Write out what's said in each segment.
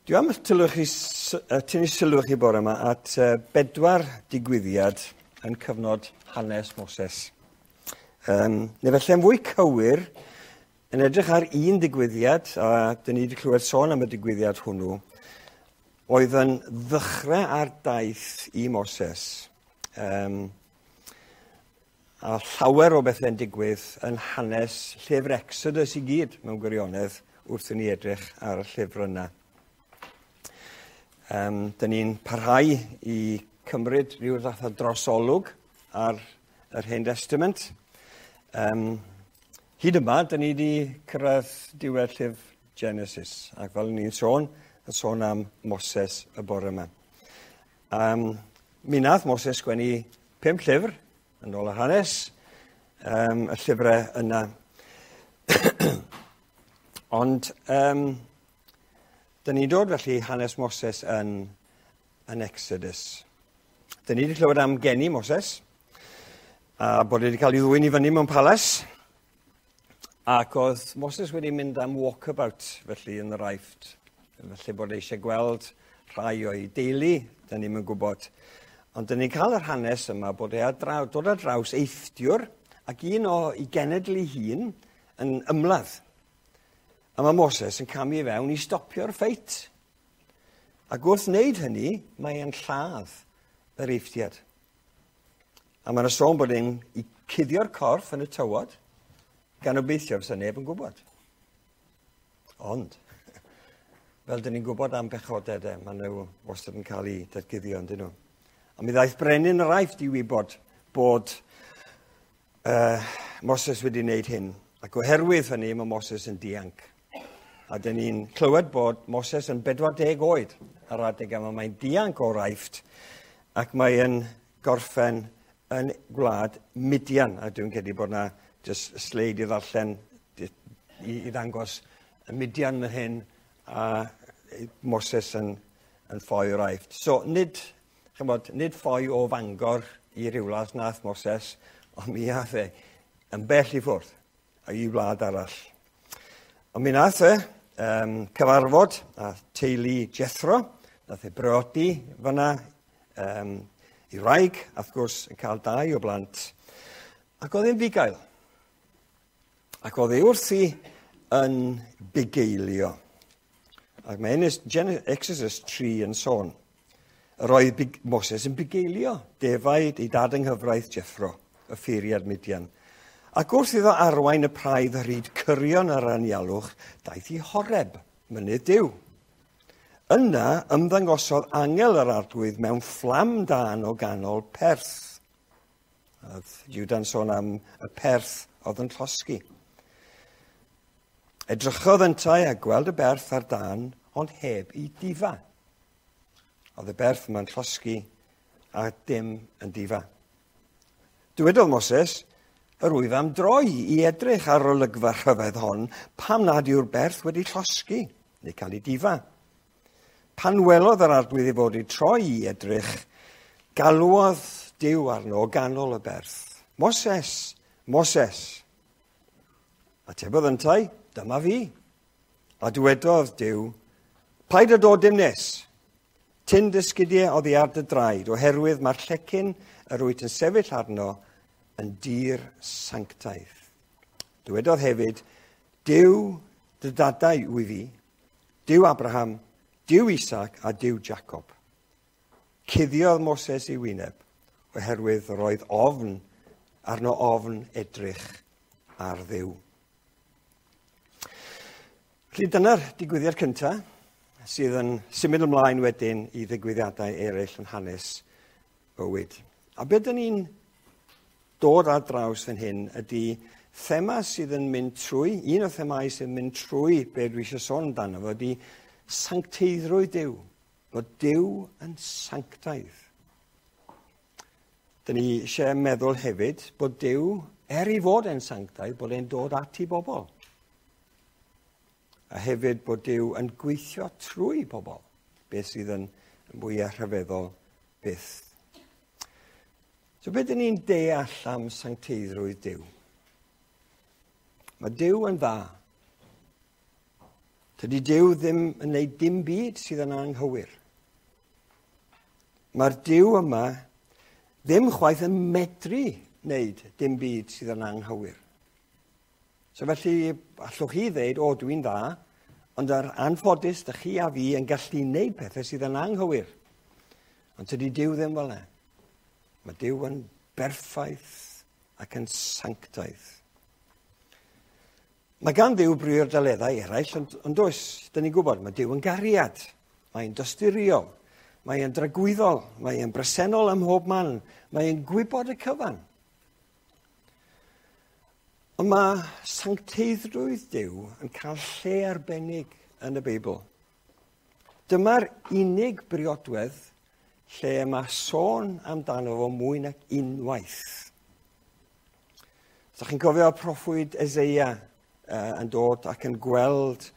Dwi am tylwch chi, tynnu sylw chi bore yma at bedwar digwyddiad yn cyfnod hanes Moses. Neu felly yn fwy cywir, yn edrych ar un digwyddiad, a dyn ni wedi clywed sôn am y digwyddiad hwnnw, oedd yn ddechrau ar daith i Moses. A llawer o bethau'n digwydd yn hanes llyfr Exodus i gyd mewn gwirionedd wrth i ni edrych ar y llyfr yna. Dyn ni'n parhau i cymryd rhyw fath o drosolwg ar yr Hen Testament. Hyd yma, dyn ni wedi cyrraedd diwedd llyfr Genesis, ac fel ni'n sôn, yn sôn am Moses y bore yma. Mi nath Moses sgwennu 5 llyfr, yn ôl yr hanes, y llyfrau yna. Ond dyn ni'n dod felly hanes Moses yn Exodus. Dyn ni wedi clywed am geni Moses, a bod wedi cael ei ddwyn i fyny mewn palas, ac oedd Moses wedi mynd am walkabout felly yn yr Aifft. Felly bod eisiau gweld rhai o'i deulu, dyn ni'm yn gwybod. Ond dyn ni'n cael yr hanes yma bod e dod ar draws Eifftiwr ac un o'i genedl ei hun yn ymladd. A mae Moses yn camu i fewn i stopio'r ffeit. Ac wrth wneud hynny, mae e'n lladd yr Eifftiad. A mae'n sôn bod e'n i cuddio'r corff yn y tywod, gan obeithio fysa neb yn gwybod. Ond, fel dyn ni'n gwybod am bechodau, de, maen nhw wastad yn cael eu datguddio, yndyn nhw. A mi ddaeth brenin yr Aifft i wybod bod Moses wedi wneud hyn. Ac oherwydd hynny, mae Moses yn dianc. A dyn ni'n clywed bod Moses yn 40 oed ar adeg yma. Mae'n dianc o'r Aifft ac mae'n gorffen yn gwlad Midian. A dwi'n credu bod yna jyst sleid i ddarllen i ddangos y Midian fan hyn a Moses yn ffoi o'r Aifft. So nid ffoi o Fangor i Rhiwlas nath Moses, ond mi ath e yn bell i ffwrdd i wlad arall. Ond mi nath e cyfarfod â teulu Jethro, nath e briodi fyna i wraig, a wrth gwrs yn cael 2 o blant, ac oedd e'n fugail. Ac oedd e wrthi yn bugeilio. Ac mae Exodus 3 yn sôn. Yr oedd Moses yn bugeilio defaid ei dad yng nghyfraith Jethro, y ffeiriad Midian. Ac wrth iddo arwain y praidd ar hyd cyrion yr anialwch, daeth i Horeb, mynydd Duw. Yna ymddangosodd angel yr Arglwydd mewn fflam dân o ganol perth. Oedd Juda'n sôn am y perth oedd yn llosgi. Edrychodd yntau a gweld y berth ar dân, ond heb i difa. Oedd y berth yma'n llosgi a dim yn difa. Dywedodd Moses, yr wyf am droi i edrych ar olygfa rhyfedd hon, pam nad yw'r berth wedi llosgi neu cael ei difa. Pan welodd yr Arglwydd ei fod wedi troi i edrych, galwodd Duw arno o ganol y berth. Moses, Moses. Atebodd yntau, dyma fi. A dywedodd Duw, paid â dod dim nes. Tyn dy sgidiau oddi ar dy draed, oherwydd mae'r llecyn yr wyt yn sefyll arno yn dir sanctaidd. Dywedodd hefyd, Duw dy dadau wyf fi, Duw Abraham, Duw Isaac a Duw Jacob. Cuddiodd Moses ei wyneb, oherwydd roedd ofn arno ofn edrych ar Dduw. Felly dyna'r digwyddiad cyntaf sydd yn symud ymlaen wedyn i ddigwyddiadau eraill yn hanes bywyd. A beth dyn ni'n dod ar draws fan hyn ydy thema sydd yn mynd trwy, un o themâu sydd yn mynd trwy be dwi eisiau sôn amdano fo ydy sancteiddrwydd Duw, bod Duw yn sanctaidd. Dyn ni eisiau meddwl hefyd bod Duw, er ei fod e'n sanctaidd, bod e'n dod at ei bobl. A hefyd bod Duw yn gweithio trwy bobl, beth sydd yn fwyaf rhyfeddol byth. So beth dyn ni'n deall am sancteiddrwydd Duw? Mae Duw yn dda. Tydi Duw ddim yn gwneud dim byd sydd yn anghywir. Mae'r Duw yma ddim chwaith yn medru wneud dim byd sydd yn anghywir. So felly, allwch chi ddeud, o, dwi'n dda, ond ar anffodus, dych chi a fi yn gallu wneud pethau sydd yn anghywir. Ond tydi Duw ddim fel yna. Mae Duw yn berffaith ac yn sanctaidd. Mae gan Dduw briodaleddau eraill, ond does, dyn ni'n gwybod, mae Duw yn gariad, mae'n dosturiol, mae'n dragwyddol, mae'n bresennol ym mhob man, mae'n gwybod y cyfan. Ond mae sancteiddrwydd Duw yn cael lle arbennig yn y Beibl. Dyma'r unig briodwedd lle mae sôn amdano fo mwy nag unwaith. Os ydych chi'n cofio proffwyd Eseia yn dod ac yn gweld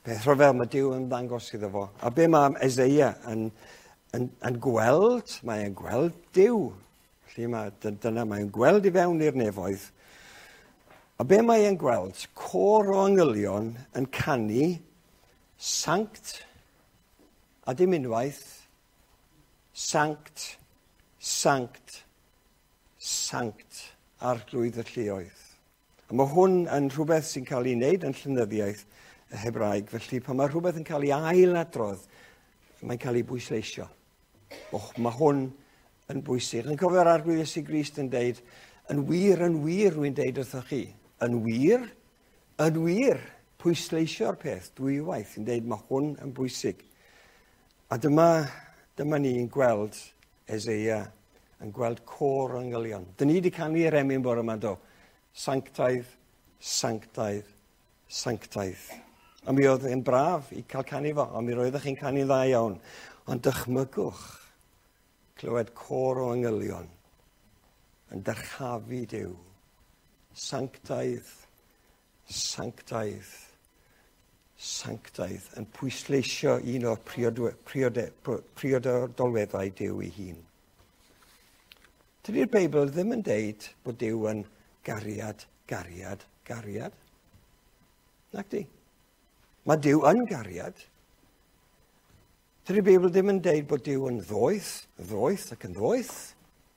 beth rhyfedd mae Duw yn ddangos iddo fo. A be mae Eseia yn gweld? Mae'n gweld Duw. Felly mae, dyna mae'n gweld i fewn i'r nefoedd. A be mae'n gweld? Côr o angylion yn canu sanct a dim unwaith, sanct, sanct, sanct arglwydd y lluoedd. A mae hwn yn rhywbeth sy'n cael ei wneud yn llenyddiaeth y Hebraeg, felly pan mae rhywbeth yn cael ei ailadrodd, mae'n cael ei bwysleisio. Och, mae hwn yn bwysig. Yn cofio'r Arglwydd Iesu Grist yn deud, yn wir, rwy'n deud wrthoch chi. Yn wir, yn wir, pwysleisio'r peth dwywaith yn deud mae hwn yn bwysig. A dyma ni'n gweld Eseia yn gweld côr o angylion. Dyn ni wedi canu'r emyn bore yma, do. Sanctaidd, sanctaidd, sanctaidd. A mi oedd yn braf i cael canu fo, a mi roeddech chi'n canu'n dda iawn. Ond dychmygwch clywed côr o angylion yn dyrchafu Duw. Sanctaidd, sanctaidd, sanctaidd, yn pwysleisio un o'r priodolweddau Duw ei hun. Dydy'r Beibl ddim yn deud bod Duw yn gariad, gariad, gariad. Nac di. Mae Duw yn gariad. Dydy'r Beibl ddim yn deud bod Duw yn ddoeth, ddoeth ac yn ddoeth.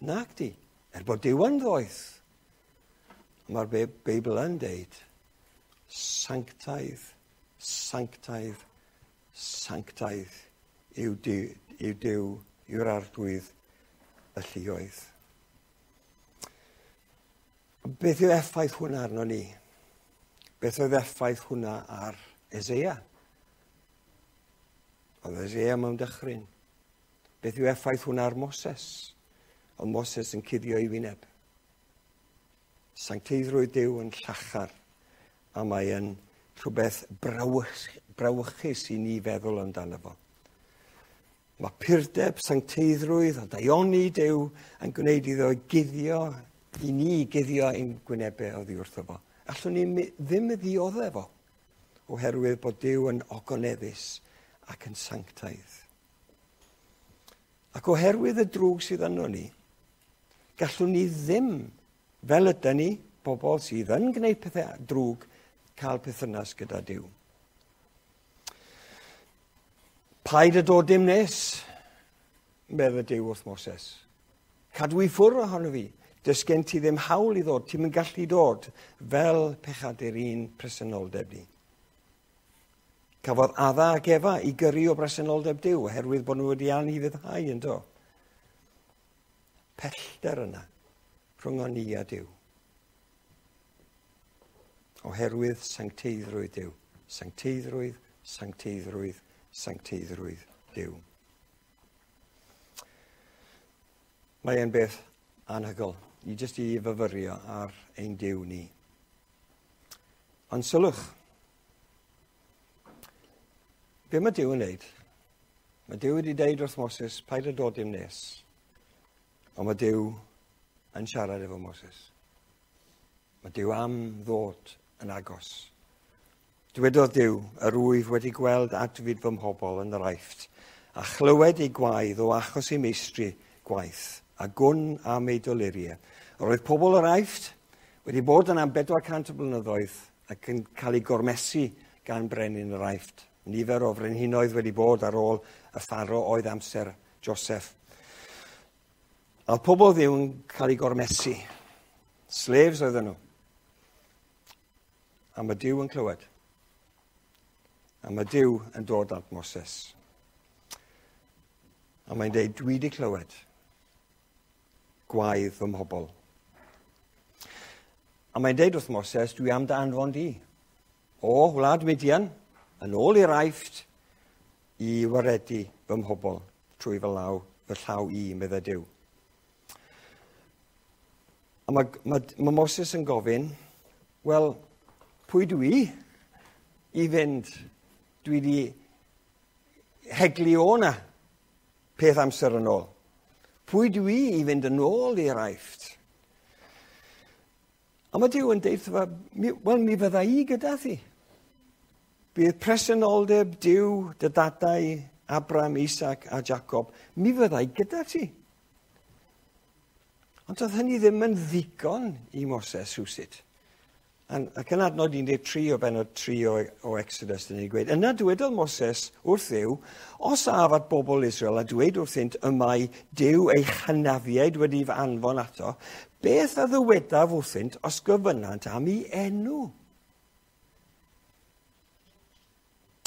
Nac di. Er bod Duw yn ddoeth. Mae'r Beibl yn deud sanctaidd, sanctaidd, sanctaidd yw Duw, yw'r Arglwydd y lluoedd. Beth yw effaith hwnna arno ni? Beth oedd effaith hwnna ar Eseia? Oedd Eseia mewn dychryn. Beth yw effaith hwnna ar Moses? Oedd Moses yn cuddio ei wyneb. Sancteiddrwydd Duw yn llachar, a mae yn rhywbeth brawychus i ni feddwl amdano fo. Mae purdeb, sancteiddrwydd a daioni Duw yn gwneud iddo guddio, i ni guddio ein gwynebau oddi wrtho fo. Allwn ni ddim ddioddef fo, oherwydd bod Duw yn ogoneddus ac yn sanctaidd. Ac oherwydd y drwg sydd yno ni, gallwn ni ddim, fel ydy ni, bobl sydd yn gwneud pethau drwg, cael perthynas gyda Duw. Paid y dod dim nes, medde Duw wrth Moses. Cadw i ffwrdd ohono fi. Does gen ti ddim hawl i ddod, ti'm yn gallu dod fel pechadur un presenoldeb ni. Cafodd Adda ac Efa i gyrru o bresenoldeb Duw oherwydd bod nhw wedi anufuddhau yn do. Pellter yna rhwng ni a Duw. Oherwydd sancteiddrwydd Duw. Sancteiddrwydd, sancteiddrwydd, sancteiddrwydd Duw. Mae e'n beth anhygoel i jyst i fyfyrio ar ein Duw ni. Ond sylwch, be mae Duw yn wneud? Mae Duw wedi deud wrth Moses, paid â dod dim nes. Ond mae Duw yn siarad efo Moses. Mae Duw am ddod yn agos. Dywedodd Duw, yr wyf wedi gweld adfyd fy mhobl yn yr Aifft, a chlywed ei gwaedd o achos ei meistri gwaith, a gwn am ei doluriau. Yr oedd pobl yr Aifft wedi bod yn am 400 o blynyddoedd ac yn cael ei gormesu gan brenin yr Aifft. Nifer o frenhinoedd wedi bod ar ôl y Pharo oedd amser Joseph. A pobl Dduw yn cael ei gormesu. Slaves oedden nhw. A mae Duw yn clywed. A mae Duw yn dod at Moses. A mae'n dweud, "Dwi wedi clywed gwaedd fy mhobl." A mae'n deud wrth Moses, "Dwi am dy anfon di o wlad Midian, yn ôl i'r Aifft, i waredu fy mhobl trwy fy law, fy llaw i," meddai Duw. A mae Moses yn gofyn, "Wel, pwy dwi i fynd? Dwi wedi heglu o na peth amser yn ôl. Pwy dwi i fynd yn ôl i'r Aifft?" A mae Duw yn deud wrtho fe, "Wel, mi fydda i gyda thi. Bydd presenoldeb Duw, dy dadau, Abraham, Isaac a Jacob, mi fydda i gyda ti." Ond doedd hynny ddim yn ddigon i Moses rhywsut. Ac yn adnod 13 o benod 3 o Exodus, dyn ni'n gweud, "Yna dywedodd Moses wrth Dduw, 'Os af at bobl Israel a dweud wrthynt y mae Duw eich hynafiaid wedi fy anfon ato, beth a ddywedaf wrthynt os gofynnant am ei enw?"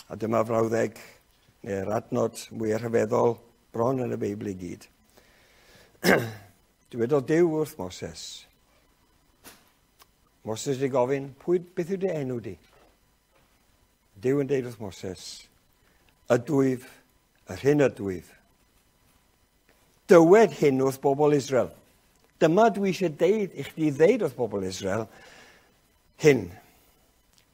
A dyma frawddeg, neu'r adnod mwy rhyfeddol bron yn y Beibl i gyd. Dywedodd Duw wrth Moses. Moses wedi gofyn, "Beth yw dy enw di?" Duw yn deud wrth Moses, "Ydwyf yr hyn ydwyf. Dywed hyn wrth bobl Israel. Dyma dwi eisiau deud i chdi ddeud wrth bobl Israel hyn.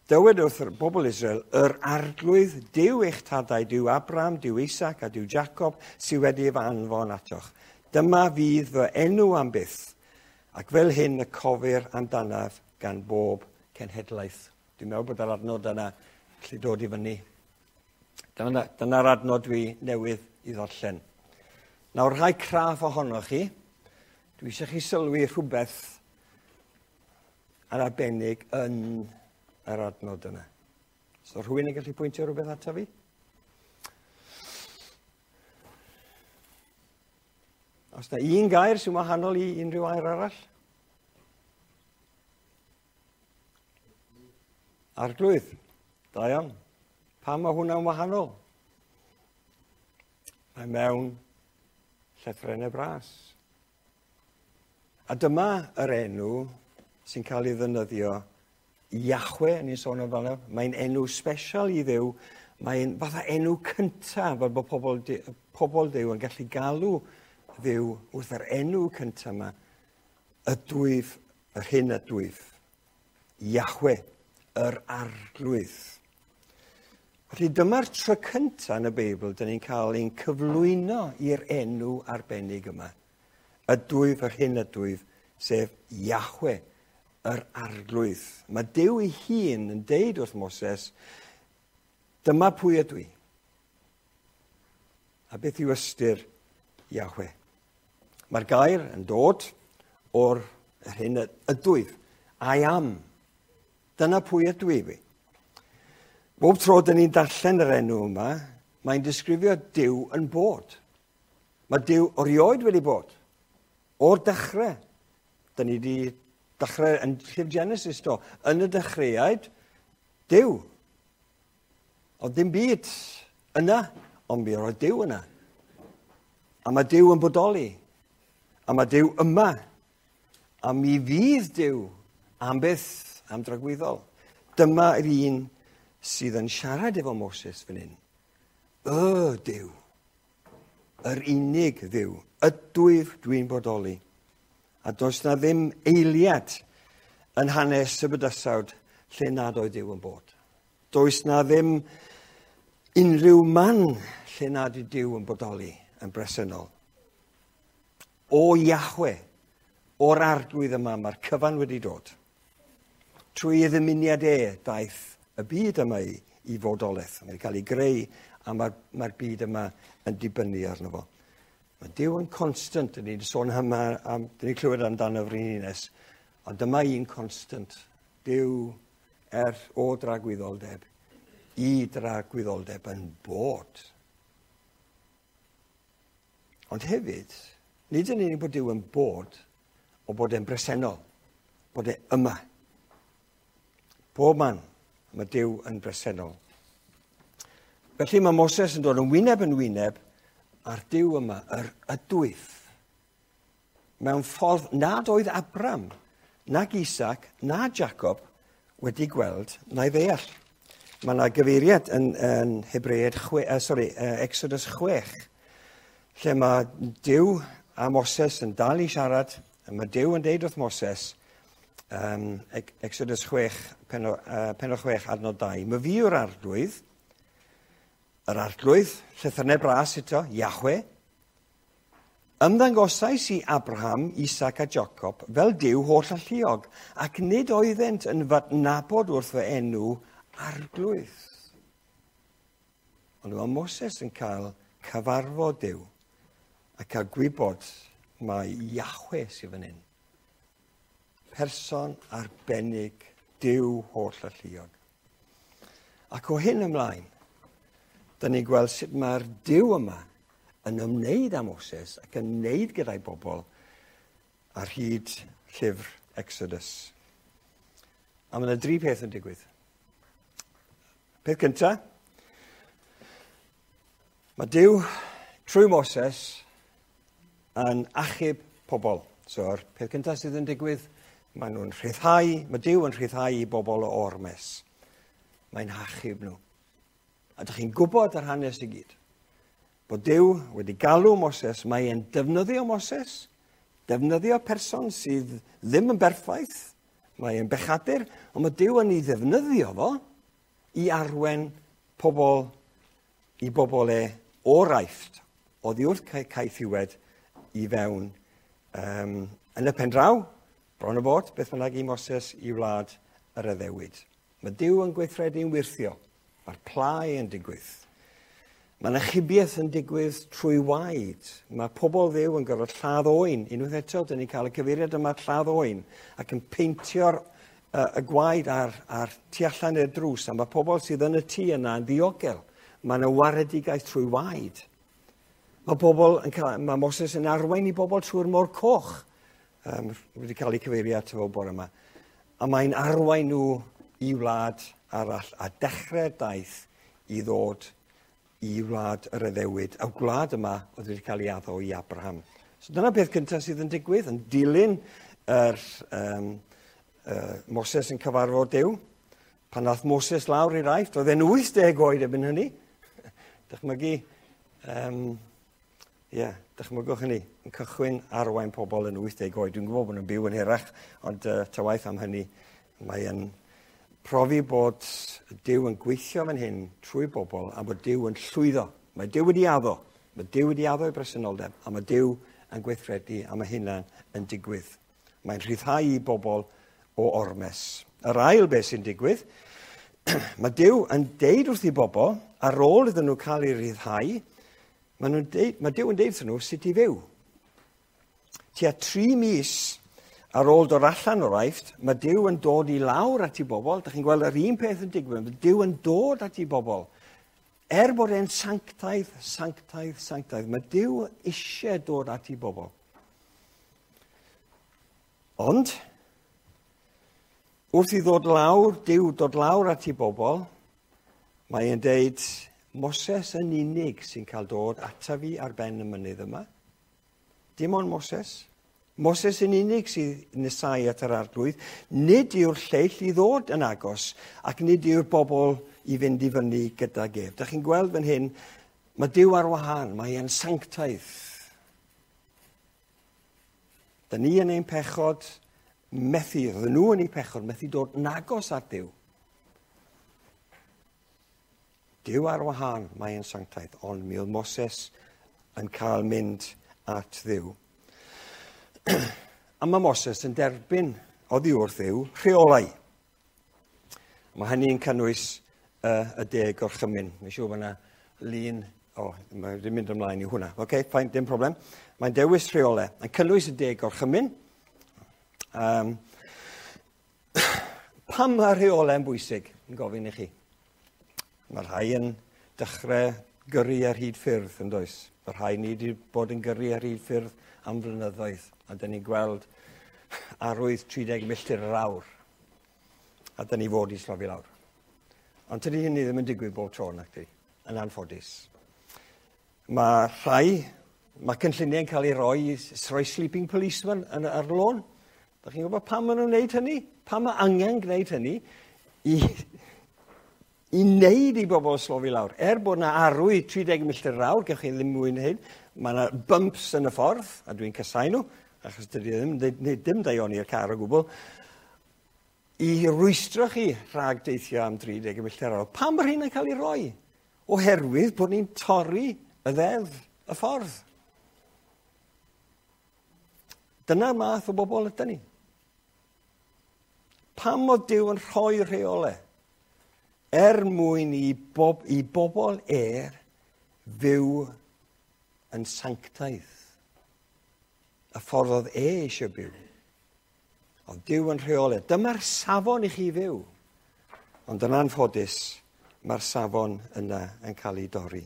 Dywed wrth bobl Israel, yr Arglwydd, Duw eich tadau, Duw Abraham, Duw Isaac a Duw Jacob, sydd wedi fy anfon atoch. Dyma fydd fy enw am byth, ac fel hyn y cofir amdanaf gan bob cenhedlaeth." Dwi'n meddwl bod yr adnod yna gallu dod i fyny. Dyna'r adnod dwi newydd i ddarllen. Nawr, rhai craff ohonoch chi, dwi eisiau chi sylwi rhywbeth yn arbennig yn yr adnod yna. So rhywun yn gallu pwyntio rhywbeth ato fi? Os na un gair sy'n wahanol i unrhyw air arall? Arglwydd. Da iawn. Pam mae hwnna'n wahanol? Mae mewn llythrennau bras. A dyma yr enw sy'n cael ei ddefnyddio, Yahweh, ni'n sôn amdano. Mae'n enw special i Dduw. Mae'n fatha enw cyntaf, fel bod pobl Dduw yn gallu galw Dduw wrth yr enw cyntaf yma. Ydwyf, yr hyn ydwyf. Yahweh, yr Arglwydd. Felly dyma'r tro cyntaf yn y Beibl dyn ni'n cael ein cyflwyno i'r enw arbennig yma. Ydwyf, yr hyn ydwyf, sef Yahweh, yr Arglwydd. Mae Duw ei hun yn deud wrth Moses, "Dyma pwy ydw i." A beth yw ystyr Yahweh? Mae'r gair yn dod o'r yr hyn ydwyf. I am. Dyna pwy ydw i fi. Bob tro dyn ni'n darllen yr enw yma, mae'n disgrifio Duw yn bod. Mae Duw erioed wedi bod. O'r dechrau. Dyn ni wedi dechrau yn llyfr Genesis do. Yn y dechreuad, Duw. Oedd dim byd yna, ond mi roedd Duw yna. A mae Duw yn bodoli. A mae Duw yma. A mi fydd Duw am byth, am dragwyddol. Dyma yr un sydd yn siarad efo Moses fan hyn. Y Duw. Yr unig Dduw. Ydwyf, dwi'n bodoli. A does na ddim eiliad yn hanes y bydysawd lle nad oedd Duw yn bod. Does na ddim unrhyw man lle nad yw Duw yn bodoli yn bresennol. O Yahweh, o'r Arglwydd yma, mae'r cyfan wedi dod. Trwy ei ddymuniad e, daeth y byd yma i fodolaeth. Mae'n cael ei greu a mae'r byd yma yn dibynnu arno fo. Mae Duw yn constant, dyn ni'n sôn yma, dyn ni'n clywed amdano frenhines, ond dyma un constant. Duw er o dragwyddoldeb i dragwyddoldeb yn bod. Ond hefyd, nid yn unig bod Duw yn bod, ond bod e'n bresennol, bod e yma. Bob man, mae Duw yn bresennol. Felly mae Moses yn dod yn wyneb yn wyneb a'r Duw yma, yr ydwyf, mewn ffordd nad oedd Abram, nag Isaac, na Jacob wedi gweld na'i ddeall. Mae yna gyfeiriad yn Hebreaid Exodus 6, lle mae Duw a Moses yn dal i siarad, a mae Duw yn deud wrth Moses, Exodus 6, penod 6, adnod 2, mae fi yw'r arglwydd, yr arglwydd, llythrennau bras eto, Yahweh, ymddangosais i Abraham, Isaac a Jacob fel Duw holl alluog, ac nid oeddent yn fadnabod wrth fy enw arglwydd. Ond mae Moses yn cael cyfarfod Duw a cael gwybod mai Yahweh sydd fan hyn. Person arbennig, Duw holl alluog. Ac o hyn ymlaen, da ni'n gweld sut mae'r Duw yma yn ymwneud â Moses ac yn ymwneud gyda'i bobl ar hyd llyfr Exodus. A mae yna dri peth yn digwydd. Peth cyntaf, mae Duw trwy Moses yn achub pobl. So'r peth cyntaf sydd yn digwydd, maen nhw'n rhyddhau, mae Duw yn rhyddhau i bobl o ormes. Mae'n hachub nhw. A ydych chi'n gwybod yr hanes i gyd. Bod Duw wedi galw Moses, mae e'n defnyddio Moses, defnyddio person sydd ddim yn berffaith, mae e'n bechadur, ond mae Duw yn ei ddefnyddio fo i arwen pobl i bobl e o'r Aifft, oddi wrth caethiwed i fewn. Yn y pen draw, bron o fod, beth bynnag i Moses i wlad yr addewid. Mae Duw yn gweithredu'n wyrthio. Mae'r plau yn digwydd. Mae'n achubiaeth yn digwydd trwy waed. Mae pobl Dduw yn gorfod lladd oen. Unwaith eto, dyn ni'n cael y cyfeiriad yma lladd oen ac yn peintio'r y gwaed ar tu allan i'r drws. A mae pobl sydd yn y tŷ yna yn ddiogel. Mae yna waredigaeth trwy waed. Mae pobl yn cael, mae Moses yn arwain i bobl trwy'r môr coch. Wedi cael ei cyfeirio ato fo bore yma. A mae'n arwain nhw i wlad arall a dechrau'r daith i ddod i wlad yr addewid. A gwlad yma oedd wedi cael ei addo i Abraham. So dyna beth cyntaf sydd yn digwydd, yn dilyn yr Moses yn cyfarfod Duw. Pan nath Moses lawr i'r Aifft, oedd e'n 80 oed erbyn hynny. Dychmygu, dychmygwch hynny, yn cychwyn arwain pobl yn 80 oed. Dwi'n gwybod bod nhw'n byw yn hirach, ond ta waeth am hynny, mae yn profi bod Duw yn gweithio fan hyn trwy bobl a bod Duw yn llwyddo. Mae Duw wedi addo. Mae Duw wedi addo ei bresenoldeb a mae Duw yn gweithredu a mae hynna yn digwydd. Mae'n rhyddhau i bobl o ormes. Yr ail beth sy'n digwydd, mae Duw yn deud wrth i bobl, ar ôl iddyn nhw cael eu rhyddhau, mae Duw yn deud wrthyn nhw sut i fyw. Tua 3 mis ar ôl dod allan o'r Aifft, mae Duw yn dod i lawr at i bobl. Dach chi'n gweld yr un peth yn digwydd. Mae Duw yn dod at i bobl. Er bod e'n sanctaidd, sanctaidd, sanctaidd, mae Duw eisiau dod at i bobl. Ond, wrth i ddod lawr, Duw dod lawr at i bobl, mae e'n deud, Moses yn unig sy'n cael dod ata fi ar ben y mynydd yma. Dim ond Moses. Moses yn unig sydd nesau at yr arglwydd. Nid yw'r lleill i ddod yn agos ac nid yw'r bobl i fynd i fyny gydag ef. Dach chi'n gweld fan hyn, mae Duw ar wahân, mae e'n sanctaidd. Da ni yn ein pechod methu, roedden nhw yn eu pechod, methu dod yn agos at Duw. Duw ar wahân, mae e'n sanctaidd, ond mi oedd Moses yn cael mynd at Dduw. A mae Moses yn derbyn oddi wrth Dduw rheolau. Mae hynny'n cynnwys y 10 gorchymyn. Mae'n siŵr bod yna lun... O, mae wedi mynd ymlaen i hwnna. Oce, fine, dim problem. Mae'n dewis rheolau. Mae'n cynnwys y 10 gorchymyn. Pam mae rheolau'n bwysig, yn gofyn i chi? Mae rhai yn dechrau gyrru ar hyd ffyrdd, yn does? Mae rhai ni wedi bod yn gyrru ar hyd ffyrdd am flynyddoedd, a dyn ni'n gweld arwydd 30 milltir yr awr, a dyn ni fod i slofi lawr. Ond tydi hynny ddim yn digwydd bob tro, nac di, yn anffodus. Mae rhai, mae cynlluniau'n cael ei roi, rhoi sleeping policeman yn, ar lôn. Da chi'n gwybod pam maen nhw'n gwneud hynny? Pam mae angen gwneud hynny? I, i wneud i bobl slofi lawr. Er bod yna arwy 30 milltir yr awr, gewch chi ddim mwy na hyn, mae yna bumps yn y ffordd, a dwi'n casau nhw, achos dydy ddim, dim daioni i'r car o gwbl, i rwystro chi rhag deithio am 30 milltir yr awr. Pam mae'r hyn yn cael ei roi? Oherwydd bod ni'n torri y ddeddf, y ffordd. Dyna'r math o bobl ydyn ni. Pam oedd Duw yn rhoi rheolau? Er mwyn i, bob, i bobl er fyw yn sanctaidd. Y ffordd oedd e eisiau byw. Oedd Duw yn rheolau. Dyma'r safon i chi fyw. Ond yn anffodus, mae'r safon yna yn cael ei dorri.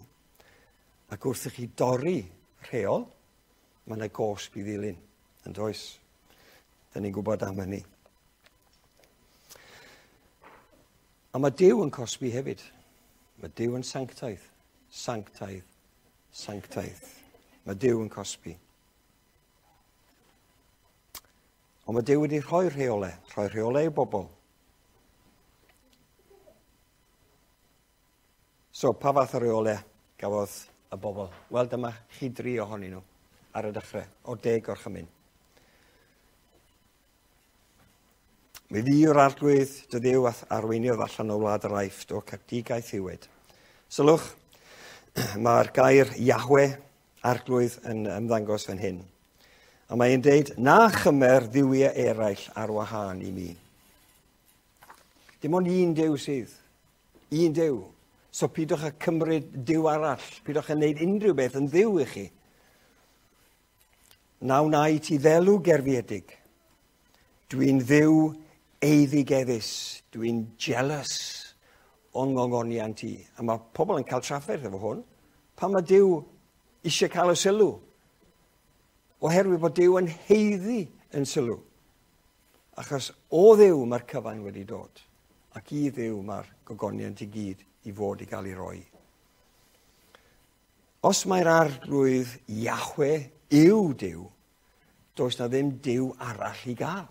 Ac wrth i chi dorri rheol, mae yna gosb i ddilyn. Yn does? Dyna ni'n gwybod am hynny. A mae Duw yn cosbi hefyd. Mae Duw yn sanctaidd, sanctaidd, sanctaidd. Mae Duw yn cosbi. Ond mae Duw wedi rhoi rheolau, rhoi rheolau i bobl. So, pa fath o reolau gafodd y bobl? Wel, dyma chi dri ohonyn nhw ar y dechrau, o deg orchymyn. Mi fi yw'r arglwydd dy ddiw a'th arweiniodd allan o wlad yr Aifft o captigaeth hiwed. Sylwch, mae'r gair Yahweh, arglwydd, yn ymddangos fan hyn. A mae'n deud, na chymer ddiwiau eraill ar wahân i mi. Dim ond un Duw sydd. Un Duw. So pidwch â cymryd Duw arall. Pidwch â wneud unrhyw beth yn ddiw i chi. Na wna i ti ddelw gerfiedig. Dwi'n ddiw eiddigeddus. Dwi'n jealous o'n ngongoniant i. A mae pobl yn cael trafferth efo hwn. Pan mae Duw eisiau cael y sylw? Oherwydd bod Duw yn heiddi yn sylw. Achos o Dduw mae'r cyfan wedi dod, ac i Dduw mae'r gogoniant i gyd i fod i gael ei roi. Os mae'r arglwydd Yahweh yw Duw, does na ddim Duw arall i gael.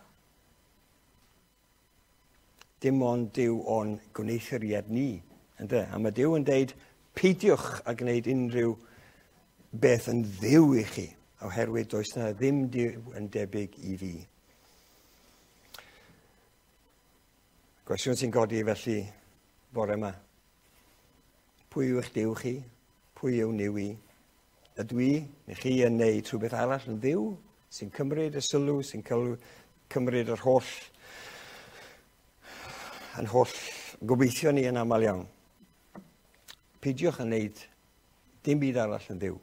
Dim ond Duw o'n gwneuthuriad ni. Ynde? A mae Duw yn deud, peidiwch a gwneud unrhyw beth yn ddiw i chi, oherwydd does na ddim Duw yn debyg i fi. Gwestiwn sy'n godi felly bore yma. Pwy yw eich Duw chi? Pwy yw niw i? Ydw i neu chi yn neud rhywbeth arall yn ddiw sy'n cymryd y sylw, sy'n cymryd yr holl yn holl gobeithio ni yn aml iawn. Peidiwch yn neud dim byd arall yn ddiw,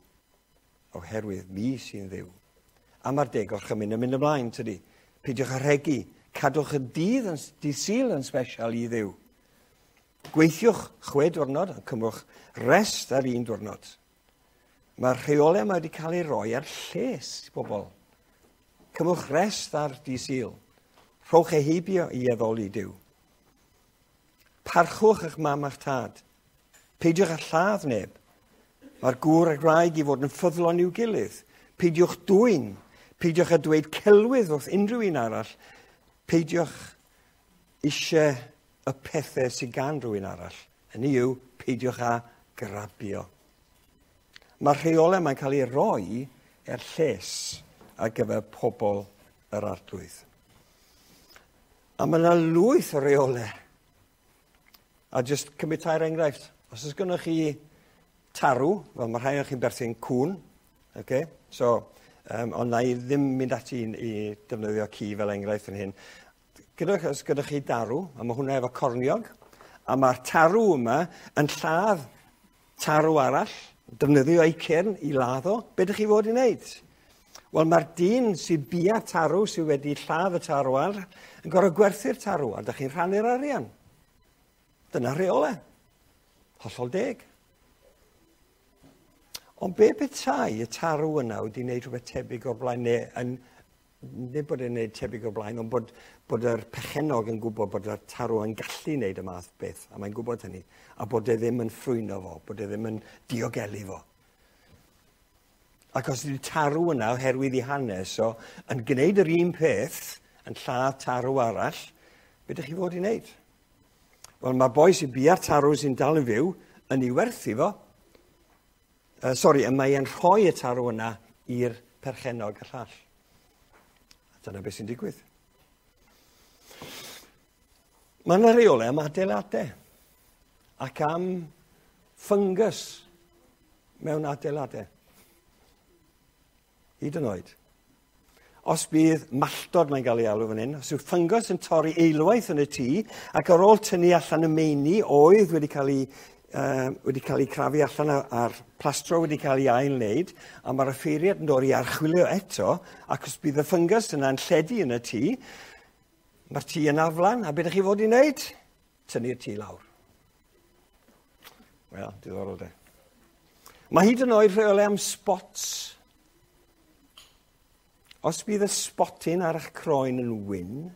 oherwydd mi sy'n ddiw. A mae'r deg orchymyn yn mynd ymlaen, tydi? Peidiwch â rhegi, cadwch y dydd, yn, dydd Sul yn special i Dduw. Gweithiwch chwe diwrnod, a cymrwch rest ar un diwrnod. Mae'r rheolau yma wedi cael ei roi ar lles i bobl. Cymrwch rest ar dydd Sul. Rhowch ei heibio i addoli Duw. Parchwch eich mam a'ch tad. Peidiwch â lladd neb. Mae'r gŵr a'r gwraig i fod yn ffyddlon i'w gilydd. Peidiwch dwyn. Peidiwch â dweud celwydd wrth unrhyw un arall. Peidiwch eisiau y pethau sydd gan rhywun arall. Hynny yw, peidiwch â grabio. Mae'r rheolau mae'n cael ei roi er lles ar gyfer pobl yr arglwydd. A mae yna lwyth o reolau. A jyst cymryd tair enghraifft. Os oes gennych chi tarw, fel mae rhai o'ch chi'n berthyn cwn, okay? So, ond na i ddim mynd ati i, i defnyddio ci fel enghraifft yn hyn. Gyda, os gyda chi darw, a mae hwnna efo corniog, a mae'r tarw yma yn lladd tarw arall, defnyddio ei cyrn i ladd o, be ydych chi fod i wneud? Wel, mae'r dyn sydd bia tarw, sydd wedi lladd y tarw ar, yn gorfod gwerthu'r tarw, a dych chi'n rhannu'r arian. Dyna rheolau. Hollol deg. Ond be petai y tarw yna wedi gwneud rhywbeth tebyg o'r blaen, neu yn, nid bod e'n gwneud tebyg o'r blaen, ond bod yr pechenog yn gwybod bod y tarw yn gallu gwneud y math beth, a mae'n gwybod hynny, a bod e ddim yn ffrwyno fo, bod e ddim yn diogelu fo. Ac os ydy'r tarw yna, oherwydd ei hanes o, yn gwneud yr un peth, yn lladd tarw arall, be ydych chi fod i wneud? Wel, mae'r boi sy'n bia'r tarw sy'n dal yn fyw yn ei werthu fo. Sori, mae e'n rhoi y tarw yna i'r perchennog y llall. A dyna beth sy'n digwydd. Mae yna reolau am adeiladau ac am fungus mewn adeiladau. Hyd yn oed. Os bydd malltod mae'n cael ei alw fan hyn, os yw ffyngos yn torri eilwaith yn y tŷ, ac ar ôl tynnu allan y meini oedd wedi cael ei crafu allan a'r plastro wedi cael ei ail-wneud, a mae'r offeiriad yn dod i archwilio eto, ac os bydd y ffyngus yna'n lledu yn y tŷ, mae'r tŷ yn aflan, a beth ydych chi fod i wneud? Tynnu'r tŷ lawr. Wel, diddorol de. Mae hyd yn oed rheolau am spots. Os bydd y spotyn ar eich croen yn wyn,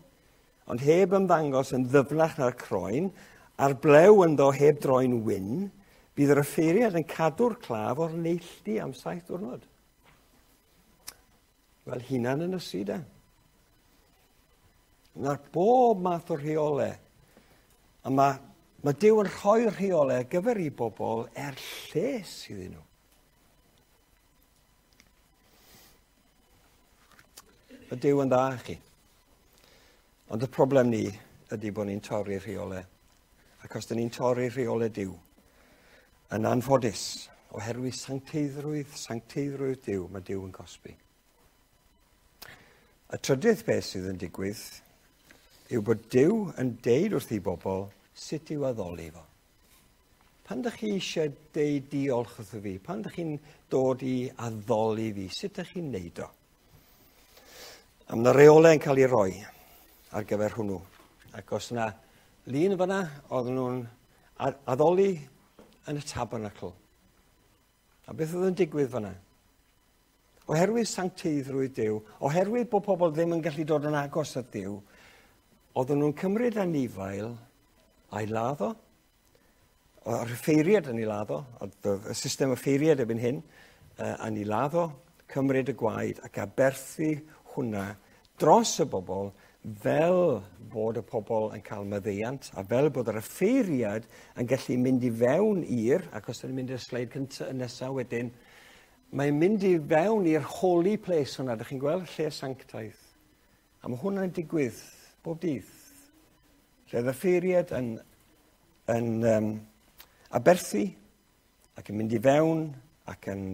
ond heb ymddangos yn ddyfnach na'r croen, a'r blew ynddo heb droi'n wyn, bydd yr offeiriad yn cadw'r claf o'r neilltu am 7 diwrnod. Wel, hunan yn ysu de. Na'r bob math o rheolau. A mae Duw yn rhoi rheolau ar gyfer i bobl er lles iddyn nhw. Mae Duw yn dda i chi. Ond y problem ni ydy bod ni'n torri rheolau. Ac os dyn ni'n torri rheolau Duw, yn anffodus, oherwydd sancteiddrwydd Duw, mae Duw yn cosbi. Y trydydd beth sydd yn digwydd yw bod Duw yn deud wrth ei bobl sut i'w addoli fo. Pan ydych chi eisiau deud diolch wrtho fi, pan ydych chi'n dod i addoli fi, sut ydych chi'n neud o? A mae 'na reolau yn cael ei roi ar gyfer hwnnw. Ac os yna lun fyna, oedden nhw'n addoli yn y tabernacl. A beth oedd yn digwydd fyna? Oherwydd sancteiddrwydd Duw, oherwydd bod pobl ddim yn gallu dod yn agos at Dduw, oedden nhw'n cymryd anifail a'i ladd o, o'r offeiriad yn ei ladd o, oedd y system offeiriad erbyn hyn, yn ei ladd o, cymryd y gwaed ac aberthu hwnna dros y bobl fel bod y pobl yn cael maddeuant a fel bod yr offeiriad yn gallu mynd i fewn i'r, ac os ydyn ni'n mynd i'r sleid cyntaf nesaf wedyn, mae'n mynd i fewn i'r holy place hwnna, ydych chi'n gweld, lle sanctaidd. A mae hwnna'n digwydd bob dydd. Lle oedd offeiriad yn aberthu ac yn mynd i fewn ac yn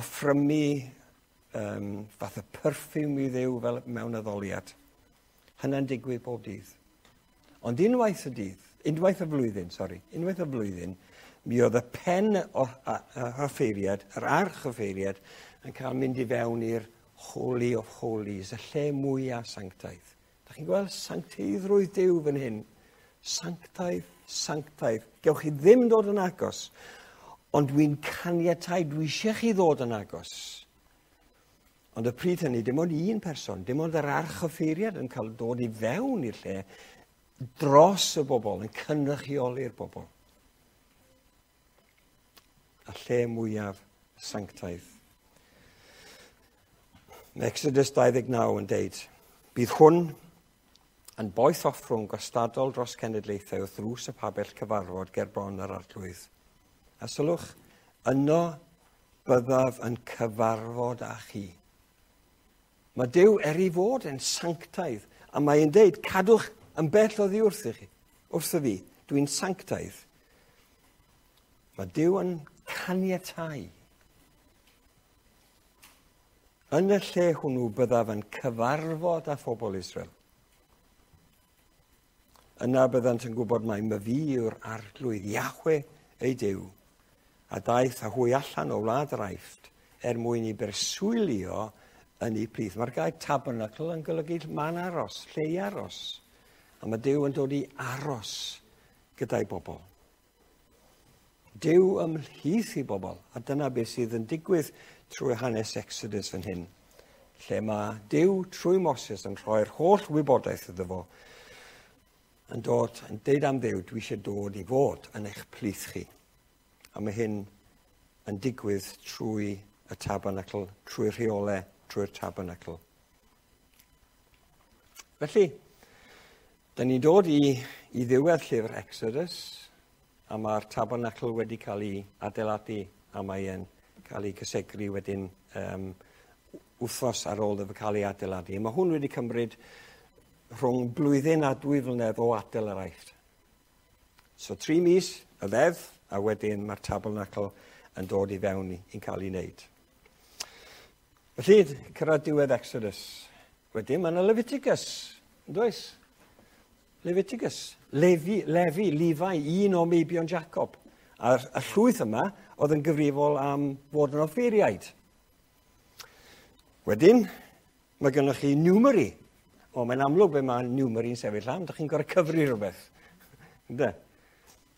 offrymu fath o perfume i Dduw fel mewn addoliad. Hynna'n digwydd bob dydd. Ond unwaith y dydd, unwaith y flwyddyn, sori, unwaith y flwyddyn, mi oedd y pen o'r offeiriad, yr arch offeiriad, yn cael mynd i fewn i'r Holy of Holies, y lle mwyaf sanctaidd. Dach chi'n gweld sancteiddrwydd Duw fan hyn? Sanctaidd, sanctaidd. Gewch chi ddim dod yn agos, ond dwi'n caniatáu, dwi eisiau chi ddod yn agos. Ond y pryd hynny, dim ond un person, dim ond yr archoffeiriad yn cael dod i fewn i'r lle dros y bobl, yn cynrychioli'r bobl. A lle mwyaf sanctaidd. Mae Exodus 29 yn deud, bydd hwn yn boeth offrwm gwastadol dros cenedlaethau wrth ddrws y pabell cyfarfod ger bron yr arglwydd. A sylwch, yno byddaf yn cyfarfod â chi. Mae Duw er ei fod yn sanctaidd, a mae'n deud, cadwch yn bell oddi wrthych chi, wrtho fi, dwi'n sanctaidd. Mae Duw yn caniatáu. Yn y lle hwnnw byddaf yn cyfarfod â phobl Israel. Yna byddant yn gwybod mai myfi yw'r arglwydd Yahwe ei Duw, a daeth â hwy allan o wlad yr Aifft er mwyn i berswylio yn ei plith. Mae'r gair tabernacl yn golygu man aros, lle i aros. A mae Duw yn dod i aros gyda'i bobl. Duw ymhlith i bobl, a dyna beth sydd yn digwydd trwy hanes Exodus fan hyn, lle mae Duw trwy Moses yn rhoi'r holl wybodaeth iddo fo, yn dod, yn deud am Dduw, dwi eisiau dod i fod yn eich plith chi. A mae hyn yn digwydd trwy y tabernacl, trwy'r rheolau, trwy'r tabernacl. Felly, da ni'n dod i ddiwedd llyfr Exodus, a mae'r tabernacl wedi cael ei adeiladu, a mae'n cael ei cysegru wedyn wythnos ar ôl iddo cael ei adeiladu. Mae hwn wedi cymryd rhwng blwyddyn a 2 flynedd o adael yr Aifft. So 3 mis y ddeddf, a wedyn mae'r tabernacl yn dod i fewn i'n cael ei wneud. Felly, cyrraedd diwedd Exodus. Wedyn mae yna Leviticus, yn does? Leviticus, Lefi, Levi, un o meibion Jacob. A'r y llwyth yma oedd yn gyfrifol am fod yn offeiriaid. Wedyn, mae gennych chi Numeri. O, mae'n amlwg be mae Numeri'n sefyll am. Dych chi'n gorfod cyfri rhywbeth. Ynde?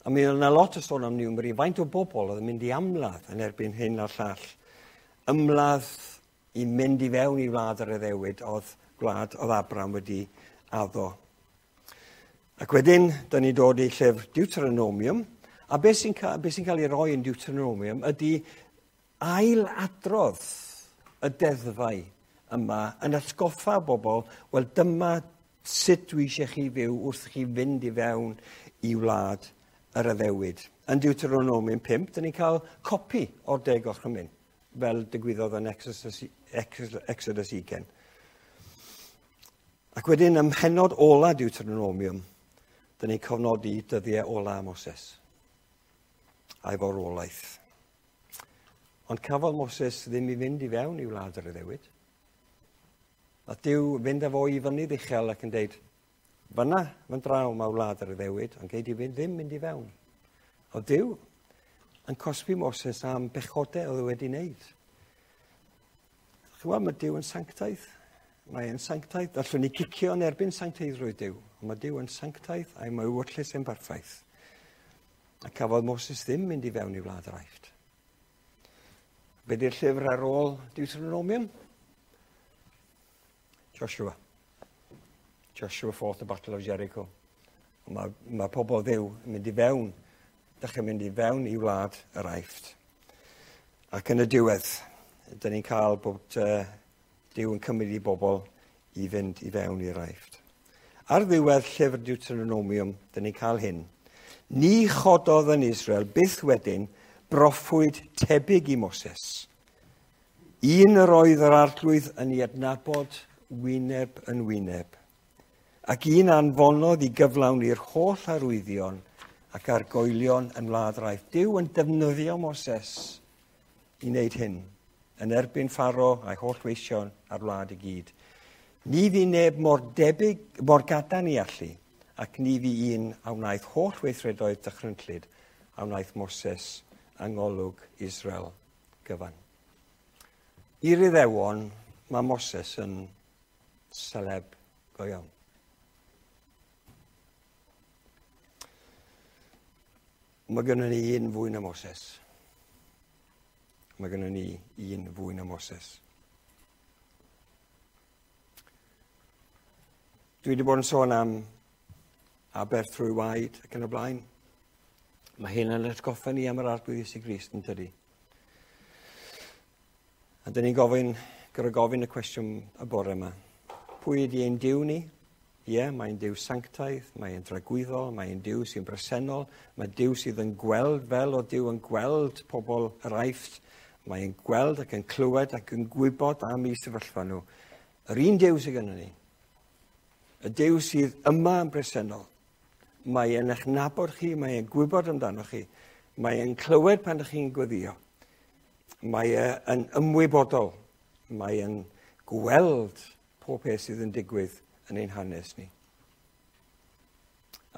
A mi oedd yna lot o sôn am Numeri. Faint o bobl oedd yn mynd i amladd yn erbyn hyn a'r llall. Ymladd i mynd i fewn i wlad yr addewid oedd gwlad oedd Abraham wedi addo. Ac wedyn, da ni dod i llyfr Deuteronomium, a beth sy'n cael ei roi yn Deuteronomium ydy ailadrodd y deddfau yma yn atgoffa bobl, wel dyma sut dwi eisiau chi fyw wrth chi fynd i fewn i wlad yr addewid. Yn Deuteronomium 5, da ni'n cael copi o'r 10 Gorchymyn, fel digwyddodd yn Exodus 20. Ac wedyn ym mhennod ola Deuteronomium, dyn ni'n cofnodi dyddiau ola Moses a'i farwolaeth. Ond cafodd Moses ddim i fynd i fewn i wlad yr addewid. A Duw fynd â fo i fynydd uchel ac yn deud, fyna, fan draw mae wlad yr addewid, ond gei di ddim mynd i fewn. O Duw yn cosbi Moses am bechodau oedd wedi wneud. Chymod, mae Duw yn sanctaidd. Mae e'n sanctaidd. Allwn ni cicio yn erbyn sancteiddrwydd Duw. Ond mae Duw yn sanctaidd a'i mae ewyllys yn berffaith. A cafodd Moses ddim mynd i fewn i wlad yr Aifft. Be di'r llyfr ar ôl Deuteronomium? Joshua. Joshua fought the Battle of Jericho. Mae pobl Dduw yn mynd i fewn, dechrau mynd i fewn i wlad yr Aifft. Ac yn y diwedd, dyn ni'n cael bod Duw yn cymryd i bobl i fynd i fewn i'r Aifft. Ar ddiwedd llyfr Deuteronomium, dyn ni'n cael hyn. Ni chododd yn Israel byth wedyn broffwyd tebyg i Moses. Un yr oedd yr arglwydd yn ei adnabod wyneb yn wyneb, ac un anfonodd i gyflawni'r holl arwyddion ac argoelion yn wlad yr Aifft. Duw yn defnyddio Moses i wneud hyn, yn erbyn Pharaoh a'i holl weision a'r wlad i gyd. Ni fu neb mor debyg, mor gadarn i allu, ac ni fu un a wnaeth holl weithredoedd dychrynllyd a wnaeth Moses yng ngolwg Israel gyfan. I'r Iddewon, mae Moses yn celeb go iawn. Mae gennym ni un fwy na Moses. Mae gennym ni un fwy na Moses. Dwi wedi bod yn sôn am aberth trwy waed ac yn y blaen. Mae hyn yn atgoffa ni am yr Arglwydd Iesu Grist, yn tydi? A dyn ni'n gofyn, gyda gofyn y cwestiwn y bore yma. Pwy ydy ein Duw ni? Ie, mae'n Duw sanctaidd, mae'n dragwyddol, mae'n Duw sy'n bresennol, mae Duw sydd yn gweld fel o Duw yn gweld pobl yr Aifft, mae'n gweld ac yn clywed ac yn gwybod am eu sefyllfa nhw. Yr un Duw sydd gennym ni, y Duw sydd yma yn bresennol, mae e'n eich nabod chi, mae e'n gwybod amdano chi, mae e'n clywed pan ydych chi'n gweddio, mae e'n ymwybodol, mae e'n gweld pob peth sydd yn digwydd yn ein hanes ni.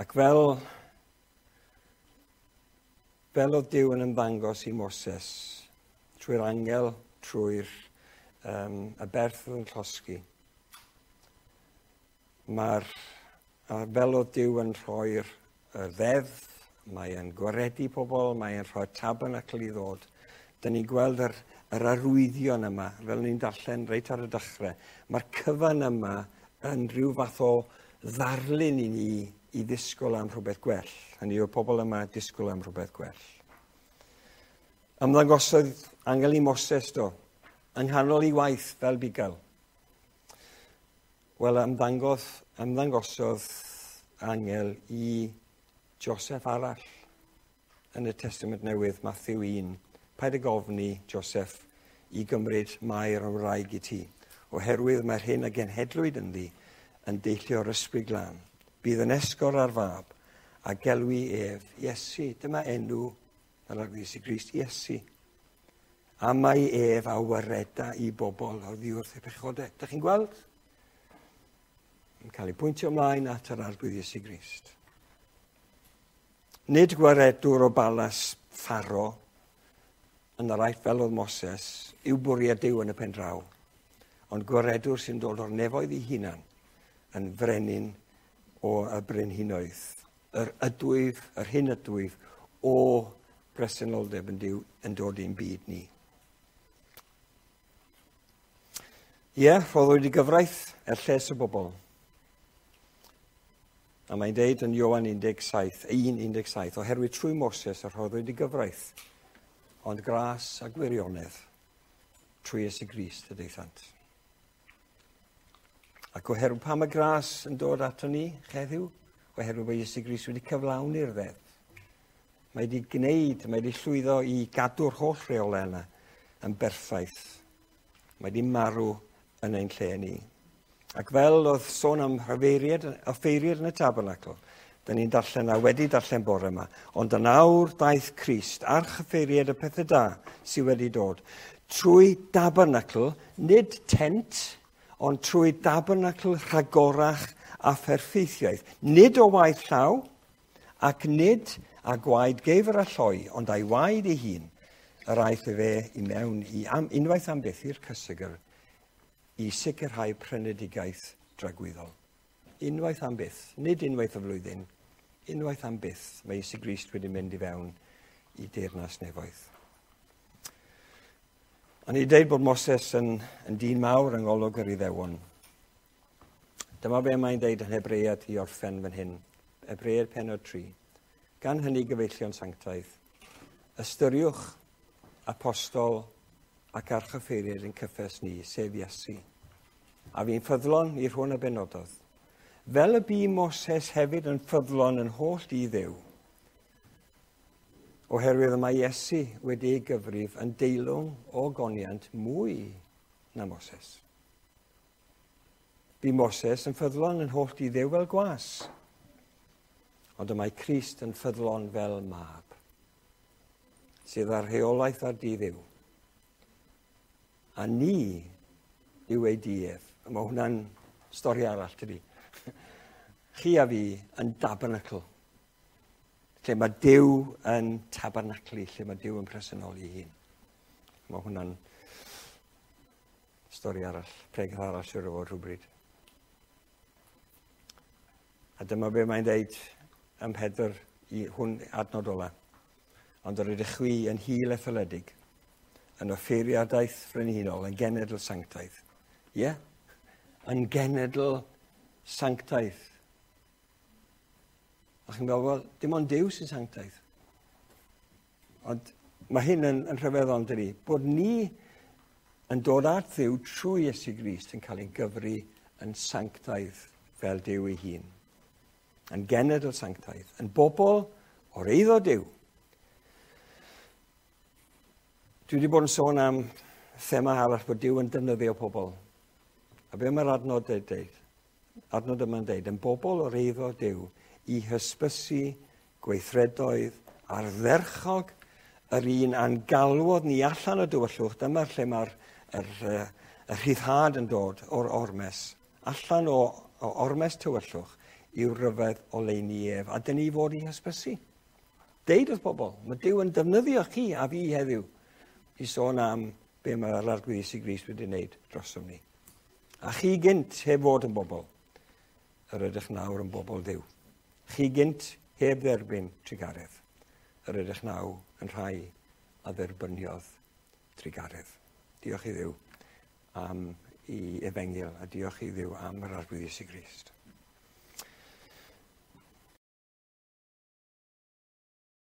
Ac fel oedd Duw yn ymddangos i Moses, trwy'r angel trwy'r y berth oedd yn llosgi. Mae'r, fel oedd Duw yn rhoi'r ddeddf, mae e'n gwaredu pobl, mae e'n rhoi tabernacl i ddod. Dyn ni'n gweld yr arwyddion yma, fel ni'n darllen reit ar y dechrau. Mae'r cyfan yma yn rhyw fath o ddarlun i ni i ddisgwyl am rhywbeth gwell. Hynny yw'r pobl yma disgwyl am rhywbeth gwell. Ymddangosodd angel i Moses do, yng nghanol ei waith fel bugail. Wel, ymddangosodd angel i Joseph arall yn y Testament Newydd, Matthew 1. Paid ag ofni, Joseph, i gymryd Mair yn wraig i ti, oherwydd mae'r hyn a genhedlwyd ynddi yn deillio o'r Ysbryd Glân. Bydd yn esgor ar fab a gelwi ef Iesu. Dyma enw yr Arglwydd Iesu Grist, Iesu. A mae ef a wareda i bobl oddi wrth eu pechodau. Dych chi'n gweld? Yn cael ei pwyntio ymlaen at yr Arglwydd Iesu Grist. Nid gwaredwr o balas Pharo yn yr Aifft fel oedd Moses yw bwriad Duw yn y pen draw, ond gwaredwr sy'n dod o'r nefoedd ei hunan yn frenin o y brenhinoedd. Yr ydwyf, yr hyn ydwyf o bresenoldeb yn Duw yn dod i'n byd ni. Ie, rhoddwyd y gyfraith er lles y bobl. A mae'n deud yn Ioan 17, 1:17, oherwydd trwy Moses y rhoddwyd y gyfraith, ond gras a gwirionedd trwy Iesu Grist y daethant. Ac oherwydd pam y gras yn dod ato ni heddiw? Oherwydd bod Iesu Grist wedi cyflawni'r ddeddf. Mae wedi gwneud, mae wedi llwyddo i gadw'r holl reolau yna yn berffaith. Mae wedi marw yn ein lle ni. Ac fel oedd sôn am offeiriad yn y tabernacl, dyn ni'n darllen a wedi darllen bore yma, ond yn awr daeth Crist, archoffeiriad y pethau da sydd wedi dod, trwy tabernacl, nid tent, ond trwy tabernacl rhagorach a pherffeithiaeth, nid o waith llaw, ac nid a gwaed geifr a lloi, ond a'i waed ei hun, yr aeth efe i mewn i unwaith am byth i'r cysegr, i sicrhau prynedigaeth dragwyddol. Unwaith am byth, nid unwaith y flwyddyn, unwaith am byth, mae Iesu Grist wedi mynd i fewn i deyrnas nefoedd. O'n i'n deud bod Moses yn dyn mawr yng ngolwg yr Iddewon. Dyma be mae'n deud yn Hebread i orffen fan hyn. Hebread pennod 3. Gan hynny gyfeillion sanctaidd, ystyriwch apostol ac archoffeiriad yn cyffes ni, sef Iesu. A fi'n ffyddlon i'r hwn a benododd. Fel y bu Moses hefyd yn ffyddlon yn holl i Dduw, oherwydd y mae Iesu wedi ei gyfrif yn deilwng o goniant mwy na Moses. Bu Moses yn ffyddlon yn holl i Dduw fel gwas, ond y mae Crist yn ffyddlon fel mab, sydd â'r rheolaeth ar di Dduw. A ni yw ei duedd. Mae hwnna'n stori arall, tydi. Chi a fi yn tabernacl. Lle mae Duw yn tabernaclu, lle mae Duw yn presenoli ei hun. Mae hwnna'n stori arall, pregeth arall siwr o fod rhywbryd. A dyma be mae'n deud ym Mhedr i hwn adnod ola. Ond yr ydych chwi yn hil etholedig, yn offeiriadaeth frenhinol, yn genedl sanctaidd. Ie? Yeah? Yn genedl sanctaidd. A chi'n meddwl, wel, dim ond Duw sy'n sanctaidd. Ond mae hyn yn rhyfeddol, dydi? Bod ni yn dod at Dduw trwy Iesu Grist yn cael ei gyfri yn sanctaidd fel Duw ei hun. Yn genedl sanctaidd, yn bobl o'r eiddo Duw. Dwi wedi bod yn sôn am thema arall bod Duw yn defnyddio pobl. A be mae'r adnod yn deud? Adnod yma'n deud, yn bobl o'r eiddo Duw i hysbysu gweithredoedd ardderchog yr un a'n galwodd ni allan o dywyllwch. Dyma'r lle mae'r y rhyddhad yn dod o'r ormes. Allan o ormes tywyllwch i'w ryfedd oleuni ef. A dyn ni fod i hysbysu. Deud wrth bobl, mae Duw yn defnyddio chi a fi heddiw i sôn am be mae'r Arglwydd Iesu Grist wedi wneud drosom ni. A chi gynt heb fod yn bobl, yr ydych nawr yn bobl Dduw. Chi gynt heb dderbyn trugaredd, yr ydych nawr yn rhai a dderbyniodd trugaredd. Diolch i Dduw am ei efengyl a diolch i Dduw am yr Arglwydd Iesu Grist.